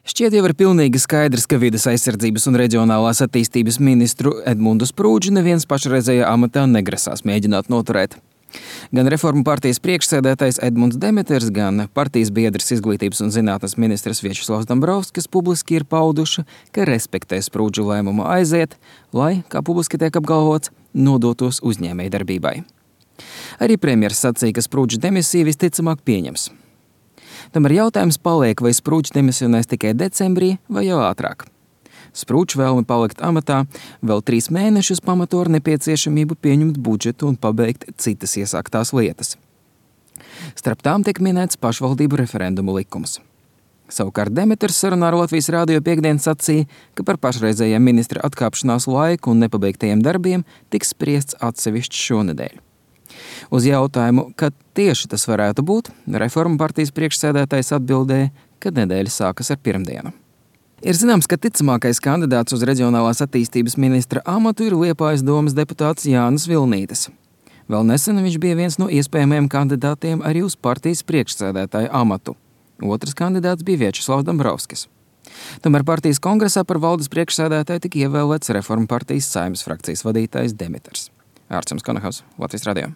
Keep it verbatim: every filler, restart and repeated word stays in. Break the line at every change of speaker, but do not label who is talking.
Šķiet jau ir pilnīgi skaidrs, ka vides aizsardzības un reģionālās attīstības ministru Edmundu Sprūdžu neviens pašreizējā amatā negrasās mēģināt noturēt. Gan Reformu partijas priekšsēdētājs Edmunds Demeters, gan partijas biedrs izglītības un zinātnes ministrs Viačeslavs Dombrovskis publiski ir pauduši, ka respektē Sprūdžu lēmumu aiziet, lai, kā publiski tiek apgalvots, nodotos uzņēmējdarbībai. Arī premjers sacīja, ka Sprūdžu demisiju visticamāk pieņems. Tomēr jautājums paliek, vai Sprūdžs demisionēs tikai decembrī vai jau ātrāk. Sprūdžs vēlmi palikt amatā vēl trīs mēnešus pamato ar nepieciešamību pieņemt budžetu un pabeigt citas iesāktās lietas. Starp tām tiek minēts pašvaldību referendumu likums. Savukārt Demeters sarunā ar Latvijas rādio piekdien sacīja, ka par pašreizējiem ministra atkāpšanās laiku un nepabeigtajiem darbiem tiks spriests atsevišķi šonedēļ. Uz jautājumu, kad tieši tas varētu būt, Reformu partijas priekšsēdētājs atbildēja, ka nedēļa sākas ar pirmdienu. Ir zināms, ka ticamākais kandidāts uz reģionālās attīstības ministra amatu ir Liepājas domas deputāts Jānis Vilnītis. Vēl nesen viņš bija viens no iespējamajiem kandidātiem arī uz partijas priekšsēdētāja amatu. Otrs kandidāts bija Viačeslavs Dombrovskis. Tomēr partijas kongresā par valdes priekšsēdētāju tika ievēlēts Reformu partijas Saeimas frakcijas vadītājs Demeters. Ārčuns Konahaus, Latvijas radio.